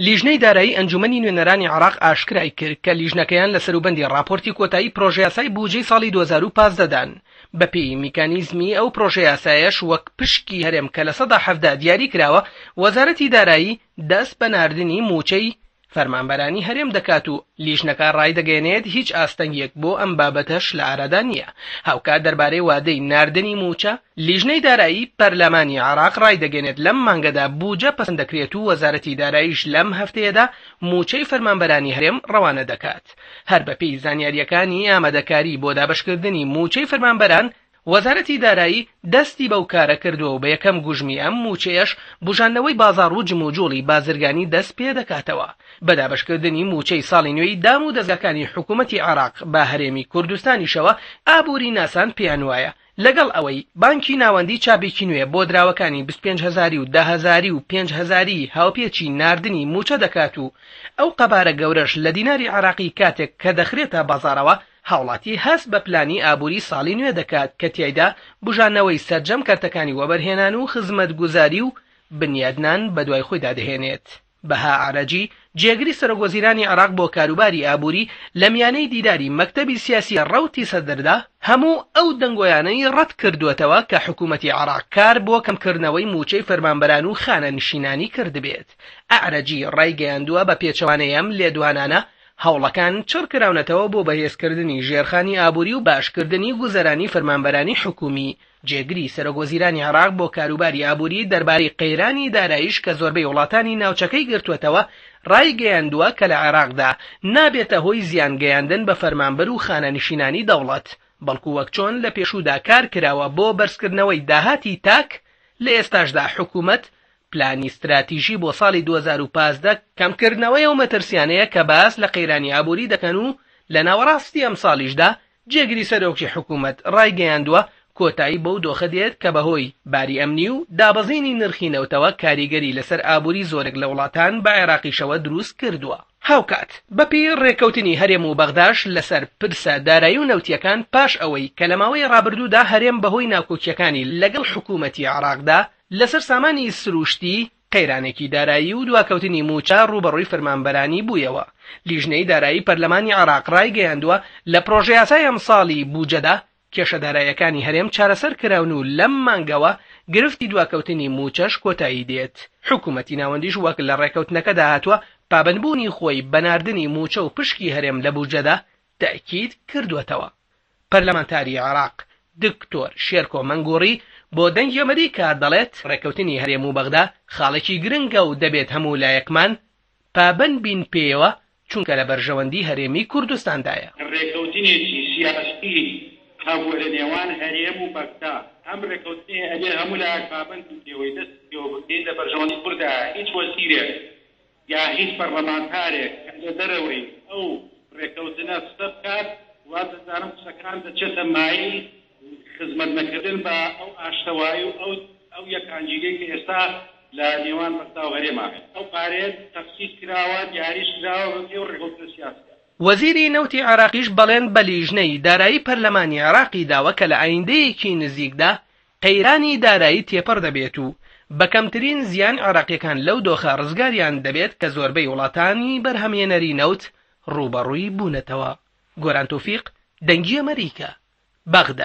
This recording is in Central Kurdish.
لیژنەی دارایی ئەنجومەنی نوێنەرانی عێراق ئاشکرای کرد کە لیژنەکەیان لە سەروبەندی ڕاپۆرتی کۆتایی پرۆژەیاسای بوجەی ساڵی 2015 دان. بەپێی میکانیزمی ئەو پرۆژەیاسایەش وەک پشکی هەرێم کە 17% دیاری کراوە، وەزارەتی دارایی دەست بە ناردنی مووچەی فەرمانبەرانی هەرێم دەکات و لیژنەکە ڕایدەگەیەنێت هیچ ئاستەنگیەک بۆ ئەم بابەتەش لە ئارادا نییە. هاوکات دەربارەی وادەی ناردنی مووچە، لیژنەی دارایی پەرلەمانی عێراق ڕایدەگەیەنێت لەم مانگەدا بوجە پەسەند دەکرێت و وەزارەتی داراییش لەم هەفتەیەدا مووچەی فەرمانبەرانی هەرێم ڕەوانە دەکات. هەر بەپێی زانیارییەکانی ئامادەکاری بۆ دابەشکردنی مووچەی فەرمانبەران، وەزارەتی دارایی دەستی بەو کارە کردووە و بە یەکەم گوژمی ئەم مووچەیەش بوژاندنەوەی بازاڕ و جموجوڵی بازرگانی دەست پێدەکاتەوە. بە دابەشکردنی مووچەی ساڵی نوێی دام و دەزگاکانی حکوومەتی عێراق بە هەرێمی کوردستانیشەوە، ئابووریناسان پێیانوایە لەگەڵ ئەوەی بانکی ناوەندی چاپێکی نوێ بۆ دراوەکانی 25 هەزاری و دە هەزاری و پێنج هەزاری هاوپێچی ناردنی مووچە دەکات و ئەو قەبارە گەورەش لە دیناری عێراقی کاتێک کە دەخرێتە بازاڕەوە هاوڵاتی هەست بە پلانی ئابووری ساڵی نوێ دەکات کە تیایدا بوژانەوەی سەرجەم کەرتەکانی وەبەرهێنان و خزمەتگوزاری و بنیادنان بەدوای خۆیدا دەهێنێت. بەها ئەعرەجی، جێگری سەرۆکوەزیرانی عێراق بۆ کاروباری ئابووری لە میانەی دیداری مەکتەبی سیاسی ڕەوتی سەدردا، هەموو ئەو دەنگۆیانەی ڕەتکردووەتەوە کە حکوومەتی عێراق کار بۆ کەمکردنەوەی مووچەی فەرمانبەران و خانەنشینانی کردبێت. ئەعرەجی ڕایگەیاندووە بە پێچەوانەی ئەم لێدوانانە، هەوڵەکان چڕکراونەتەوە بۆ بەهێزکردنی ژێرخانی ئابووری و باشکردنی گوزەرانی فەرمانبەرانی حکوومی. جێگری سەرۆکوەزیرانی عێراق بۆ کاروباری ئابووری دەربارەی قەیرانی داراییش کە زۆربەی وڵاتانی ناوچەکەی گرتووەتەوە، ڕایگەیاندووە کە لە عێراقدا نابێتە هۆی زیان گەیاندن بە فەرمانبەر و خانەنشینانی دەوڵەت، بەڵکو وەک چۆن لە پێشوودا کار کراوە بۆ بەرزکردنەوەی داهاتی تاک، لە ئێستاشدا حکوومەت پلانی ستراتیژی بۆ ساڵی 2015 کەمکردنەوەی ئەو مەترسیانەیە کە باس لە قەیرانی ئابووری دەکەن و لە ناوەڕاستی ئەمساڵیشدا جێگری سەرۆکی حکوومەت ڕایگەیاندووە، کۆتایی بەو دۆخە دێت کە بەهۆی باری ئەمنی و دابەزینی نرخی نەوتەوە کاریگەری لەسەر ئابووری زۆرێک لە وڵاتان بە عێراقیشەوە دروست کردووە. هاوکات، بەپێی ڕێککەوتنی هەرێم و بەغداش لەسەر پرسە دارایی و نەوتییەکان پاش ئەوەی کە لە ماوەی ڕابردوودا هەرێم بەهۆی ناکۆکییەکانی لەگەڵ حکوومەتی عێراقدا لەسەر سامانی سرووشتی قەیرانێکی دارایی و دواکەوتنی مووچە ڕووبەڕووی فەرمانبەرانی بوویەوە. لیژنەی دارایی پەرلەمانی عێراق ڕایگەیاندووە، لە پڕۆژەیاسای ئەمساڵی بوجەدا کێشە داراییەکانی هەرێم چارەسەر کراون و لەم مانگەوە گرفتی دواکەوتنی مووچەش کۆتایی دێت. حکومەتی ناوەندیش وەک لە ڕێککەوتنەکەدا هاتووە پابەندبوونی خۆی بە ناردنی مووچە و پشکی هەرێم لە بوجەدا تەئکید کردووەتەوە. پەرلەمانتاری عێراق دکتۆر شێرکۆ مەنگوڕی بۆ دەنگی ئەمەریکا دەڵێت ڕێککەوتنی هەرێم و بەغدا خاڵێکی گرنگە و دەبێت هەموو لایەکمان پابەند بین پێیەوە چونکە لە بەرژەوەندی هەرێمی کوردستاندایە. ڕێککەوتنێکی سیاسی هەبووە لە نێوان هەرێم و بەغدا، ئەم ڕێککەوتنەیە ئەبێ هەموو لایەک پابەند بین پێوەی، دەستی پێوە بگرین، لە بەرژەوەندی کوردایە، هیچ وەزیرێک یا هیچ پەڕلەمانتارێک کە لە دەرەوەی ئەو ڕێکەوتنە قسە بکات، وا دەزانم قسەکان دەچێتە مایەی خزمەت نەکردن بە ئەو ئاشتەوایی و ئەو ئەو یەکانگیریەی کە ئێستا لە نێوان بەغدا و هەرێما هەیە. ئەو پارەیە تەخسیس کراوە، دیاریش کراوە بە پێی ئەو ڕێکەوتنە سیاسیە. وەزیری نەوتی عێراقیش بەڵێن بە لیژنەی دارایی پەرلەمانی عێراقی داوە کە لە ئایندەیەکی نزیکدا قەیرانی دارایی تێپەڕ دەبێت و بە کەمترین زیان عێراقییەکان لەو دۆخە ڕزگاریان دەبێت کە زۆربەی وڵاتانی بەرهەمهێنەری نەوت ڕووبەڕووی بوونەتەوە. گۆران تۆفیق، دەنگی ئەمەریکا، بەغدا.